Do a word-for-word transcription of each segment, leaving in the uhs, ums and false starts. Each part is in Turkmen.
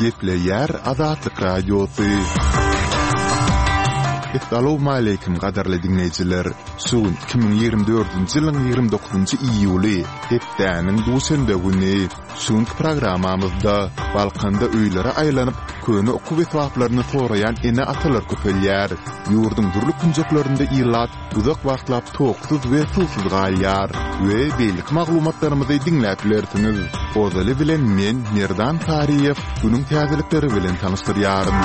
Gepleýär Azatlyk Radiosy. Essalawmaleýkim gadyrly diňleýjiler! Şu gün iki müň ýigrimi dördünji ýylyň ýigrimi dokuzynjy iýuly, hepdäniň duşenbe güni. Şu günki programmamyzda Balkanda öýlere aýlanyp, köne okuw esbaplaryny soraýan ene-atalar köpelýär. Ýurduň dürli künjeklerinde ilat uzak wagtlap toksuz we suwsuz galýar we beýleki maglumatlarymyzy diňläp bilersiňiz. Ozaly bilen men, Merdan Saryýew, günüň täzelikleri bilen tanyşdyrýaryn.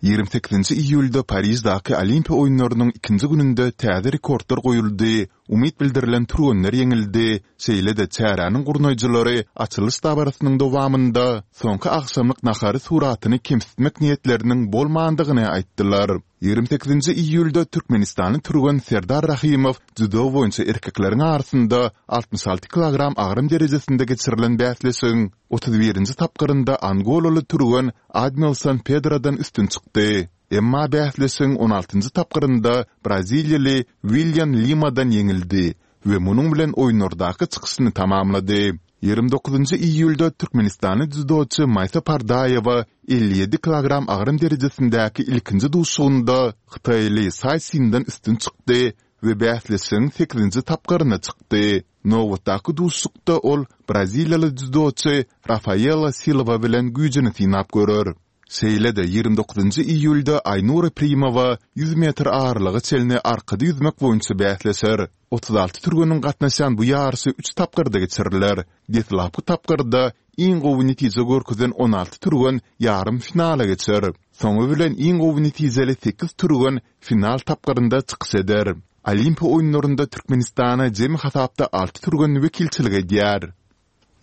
Ýigrimi sekizinji iýulda Pariždaky Olimpiýa oýunlarynyň ikinji gününde täze rekordlar goýuldy, umyt bildirilen türgenler ýeňildi, şeýle-de çäräniň gurnaýjylary açylyş dabarasynyň dowamynda soňky agşamlyk nahary suratyny kemsitmek niýetleriniň bolmandygyny aýtdylar. Ýigrimi sekizinji iýulda türkmenistanly türgen Serdar Rahymow dzýudo boýunça erkekleriň arasynda altmyş alty kilogram agram derejesinde geçirilen bäsleşigiň otuz birinji tapgyrynda angolaly türgen Admilson Pedrodan üstün çykdy. Emma bäsleşigiň on altynjy tapgyrynda braziliýaly Willian Limadan ýeňildi we munuň bilen oýunlardaky çykyşyny tamamlady. Ýigrimi dokuzynjy iýulda türkmenistanly dzýudoçy Maýsa Pardaýewa elli ýedi kilogram agram derejesindäki ilkinji duşuşygynda hytaýly Saý Sinden üstün çykdy we bäsleşigiň sekizinji tapgyryna çykdy. Nobatdaky duşuşykda ol braziliýaly dzýudoçy Rafaela Silwa bilen güýjüni synap görer. Şeýle-de, ýigrimi dokuzynjy iýulda Aýnura Primowa ýüz metr aralyga çenli arkada ýüzmek boýunça bäsleşer. Otuz alty türgeniň gatnaşýan bu ýaryşy üç tapgyrda geçiriler. Deslapky tapgyrda iň gowy netije görkezen on alty türgen ýarym finala geçer. Soňy bilen iň gowy netijeli sekiz türgen final tapgyrynda çykyş eder. Olimpiýa oýunlarynda Türkmenistana jemi hasapda alty türgen wekilçilik edýär.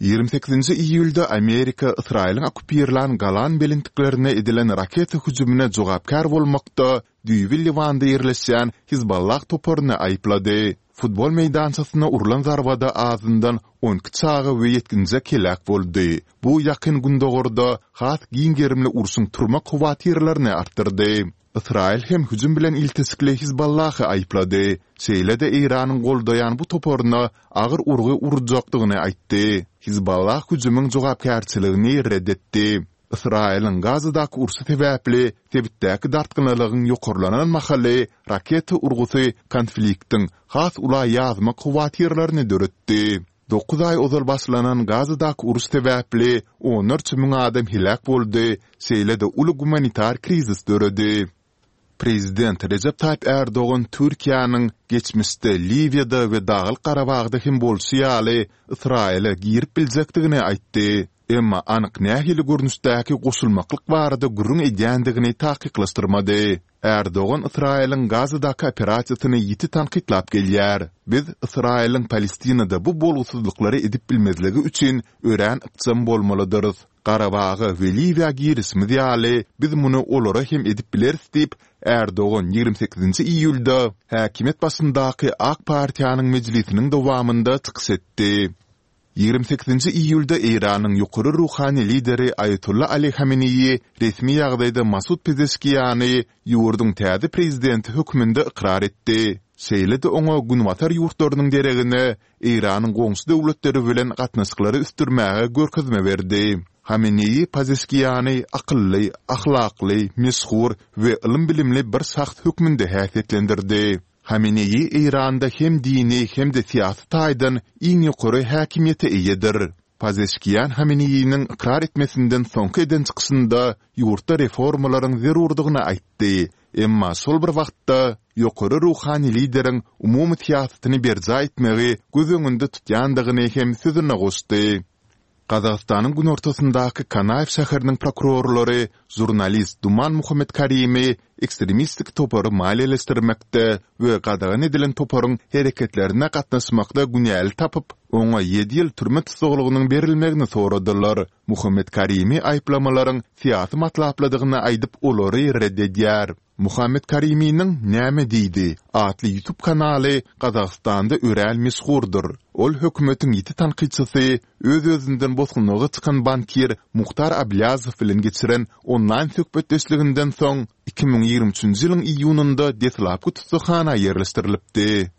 Ýigrimi sekizinji iýulda Amerika Ysraýylyň okkupirlän Golan belentliklerine edilen raketa hüjümine jogapkär bolmakda düýbi Liwanda ýerleşýän Hizballah toparyny aýyplady. Futbol meýdançasyna urlan zarbada azyndan on iki çaga we ýetginjek heläk boldy. Bu Ýakyn Gündogarda has giň gerimli urşuň turmak howatyrlaryny artdyrdy. Ysraýyl hem hüjüm bilen ilteşikli Hizballahy aýyplady, şeýle-de Eýranyň goldaýan bu toparyna agyr urgy urjakdygyny aýtdy. Hizballah hüjümiň jogapkärçiligini ret etdi. Ysraýylyň Gazadaky urşy sebäpli sebitdäki dartgynlylygyň ýokarlanan mahaly raketa urgusy konfliktiň has ula ýazmak howatyrlaryny döretdi. Dokuz aý ozal başlanan Gazadaky uruş sebäpli onlarça müň adam heläk boldy, şeýle-de uly gumanitar krizis döredi. Prezident Rejep Taýyp Ärdogan Türkiýäniň geçmişde Liwiýada we Daglyk Garabagda hem bolşy ýaly Ysraýyla girip biljekdigini aýtdy. Emma anyk nähili görnüşdäki goşulmaklyk barada gürrüň edýändigini takyklaşdyrmady. Ärdogan Ysraýylyň Gazadaky operasiýasyny ýiti tankytlap gelýär. Biz Ysraýylyň Palestinada bu bolgusyzlyklary edip bilmezligi üçin örän ykjam bolmalydyrys. Garabaga we Liwiýa girişimiz ýaly, biz muny olara hem edip bileris diýip, Ärdogan ýigrimi sekizinji iýulda häkimiýet başyndaky Ak partiýanyň mejlisiniň dowamynda çykyş etdi. Ýigrimi sekizinji iýulda Eýranyň ýokary ruhany lideri Aýatolla Ali Hameneýi resmi ýagdaýda Masud Pezeşkiýany ýurduň täze prezidenti hökmünde ykrar etdi. Şeýle-de oňa günbatar ýurtlarynyň deregine Eýranyň goňşy döwletleri bilen gatnaşyklary ösdürmäge görkezme berdi. Hameneýi Pezeşkiýany akylly, ahlakly, meşhur we ylym-bilimli bir şahs hökmünde häsiýetlendirdi. Hameneýi Eýranda hem dini hem-de syýasy taýdan iň ýokary häkimiýete eýedir. Pazeşkiýan Hameneýiniň ykrar etmesinden soňky eden çykyşynda ýurtda reformalaryň zerurdygyny aýtdy, emma şol bir wagtda ýokary ruhany lideriň umumy syýasatyny berjaý etmegi göz öňünde tutýandygyny hem sözüne goşdy. Gazagystanyň günortasyndaky Kanaýew şäheriniň prokurorlary žurnalist Duman Muhammetkarimi ekstremistik topary maliýeleşdirmekde we gadagan edilen toparyň hereketlerine gatnaşmakda günäli tapyp, oňa ýedi ýyl türme tussaglygynyň berilmegini soradylar. Muhammetkarimi aýyplamalaryň syýasy matlaplydygyny aýdyp, olary ret edýär. Muhammet Kariminiň Näme diýdi? atly YouTube kanaly Gazagystanda örän meşhurdyr. Ol hökümetiň ýiti tankytçysy, öz-özünden bosgunlyga çykan bankir Muhtar Ablýazow bilen geçiren onlaýn söhbetdeşliginden soň, iki müň ýigrimi üçünji ýylyň iýunynda deslapky tussaghana ýerleşdirilipdi.